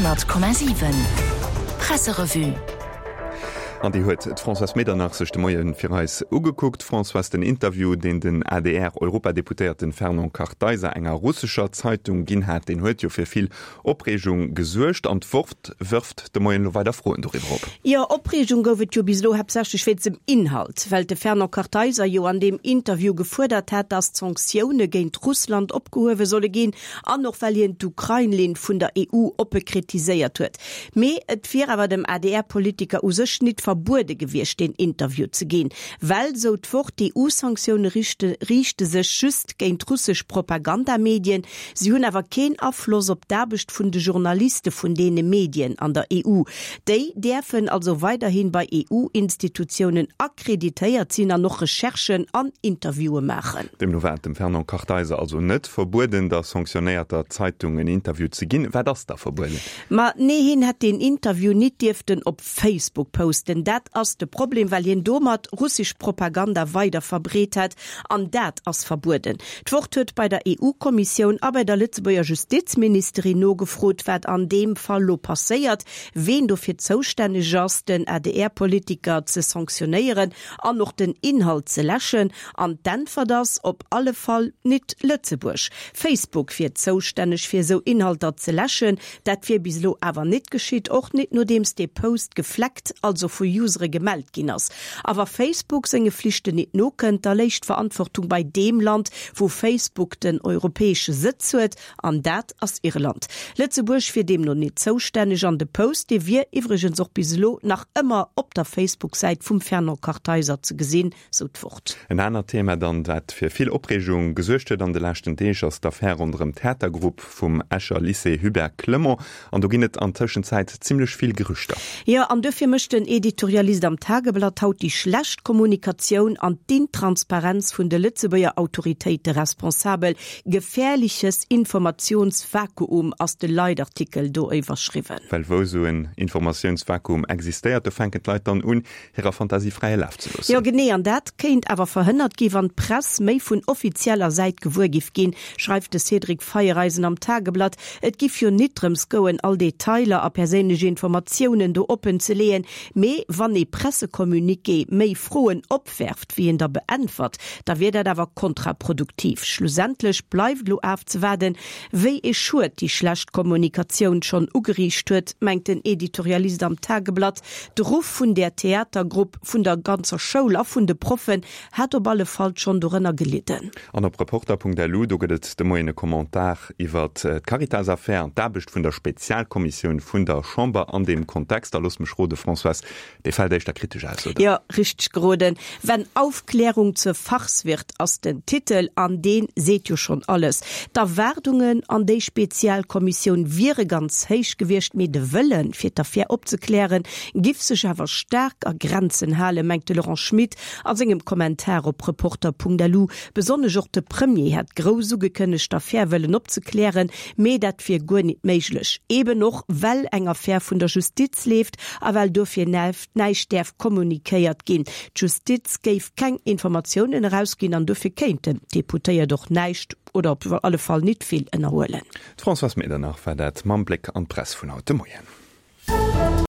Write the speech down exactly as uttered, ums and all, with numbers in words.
Honnert Komma siwen Presserevue. An déi huet d'Françoise Medernach sech de Moie fir eis ugekuckt. Françoise, den Interview, deen den A D R-Europadeputéierten Fernand Kartheiser enger russescher Zeitung ginn hat, deen huet jo fir vill Opreegung gesuergt. An d'Wort wërft de Moien elo weider Froen doriwwer op. Jo, Opreegung gouf et jo bis elo haaptsächlech wéinst dem Inhalt, well de Fernand Kartheiser jo an deem Interview gefuerdert hat, datt d'Sanktioune géint Russland opgehuewe solle ginn, an och well hien d'Ukrain-Linn vun der E U oppe kritiséiert huet. Mee et wier awer dem A D R-Politiker u sech nit verbuede gewiescht, deen Interview ze ginn, well, sou d'Wort, d'E U-Sanktioune riichte sech just géint russesch Propagandamedien, si hunn awer keen Afloss op d'Aarbecht vun de Journaliste vun deene Medien an der E U. Déi däerfen also weiderhi bei E U-Institutiounen akkreditéiert sinn an och Recherchen an Interviewe maachen. Deemno war et dem Fernand Kartheiser also net verbueden, der sanktionéierter Zeitung en Interview ze ginn. Wat ass da verbueden? Ma nee, hien hätt deen Interview nit dierften op Facebook posten. Dat ass de Problem, well hien domat russesch Propaganda weider verbreet hätt, an dat ass verbueden. D'Wort huet bei der E U-Kommissioun a bei der Lëtzebuerger Justizministerin nogefrot, wat an deem Fall lo passéiert, ween dofir zoustänneg ass, den A D R-Politiker ze sanktionéieren an och den Inhalt ze läschen. An d'Äntwert ass, op alle Fall nit Lëtzebuerg. Facebook wier zoustänneg fir esou Inhalter ze läschen, dat wier bis elo awer nit geschitt, och nit nodeems dee Post geflaggt, also vu Usere gemellt ginn ass. A wa Facebook senge Flichten nit nokënnt, da léich d'Verantwortung bei deem Land, wou Facebook den europäesche Sëtz huet, an dat ass Irland. Lëtzebuerg wier deemno nit zoustänneg an de Post, dee wier iwwregens och bis elo nach ëmmer op der Facebook-Säit vum Fernand Kartheiser ze gesinn, sou d'Wort. En anert Thema dann, dat fir vill Opreegung gesuergt huet an de leschten Deeg, ass d'Affär ronderëm d'Theatergrupp vum Escher Lycée Hubert Clement. An do ginn et an Tëschenzäit zimmlech vill Gerüchter. Jo, an dofir mécht den Editorialist am Tageblatt haut déi schlecht Kommunikatioun an d'Intransparenz vun de Lëtzebuerger Autoritéite responsabel. Gefährliches Informationsvakuum ass de Leitartikel do iwwerschriwwen. Well wou esou en Informatiounsvakuum existéiert, do fänken d'Leit dann un, hirer Fantasie fräie Laf ze loossen. Jo, genee, an dat kéint awer verhënnert gi wann d'Press méi vun offizieller Säit gewuer giff ginn, schreift de Cédric Feiereisen am Tageblatt. Et giff jo nit drëms goen, all Detailer a perséinlech Informatiounen do oppen ze leeën, mee wann ee Pressecommuniqué méi Froen opwerft wéi en der beäntwert, da wier dat awer kontraproduktiv. Schlussendlech bleift lo ofzewaarden, wéi ee Schued déi schlecht Kommunikatioun schonn ugeriicht huet, mengt den Editorialist am Tageblatt. De Ruff vun där Theatergrupp, vun der ganzer Schoul a vun de Proffen hätt op alle Fall schonn dorënner gelidden. An op Reporter Punkt L U, do gëtt et de Moien e Commentar iwwer d'Caritas-Affär an d'Aarbecht vun der Spezialkommissioun vun der Chamber an deem Kontext. A looss mech rode Françoise, dee fält éischter kritesch aus, oder? Jo, richteg geroden. Wenn Aufklärung zur Farce wird ass den Titel, an dee seet jo schonn alles. D'Erwaardungen an déi Spezialkommissioun wiere ganz héich gewiescht, mee de Wëllen, fir d'Affär opzeklären, giff sech awer staark a Grenzen halen, mengt de Laurent Schmit a sengem Kommentar op Reporter Punkt L U. Besonnesch och de Premier hätt grouss ugekënnegt, d'Affär wëllen opzeklären, mee dat wier guer nit méiglech. Eben och well eng Affär vun der Justiz leeft a well dofir näischt däerf kommunikéiert ginn. D'Justiz géif keng Informatiounen erausginn an dofir kéinten d'Deputéiert och näischt oder op alle Fall nit vill ënnerhuelen. D'Françoise Medernach war dat mam Bléck an d'Press vun haut de Moien.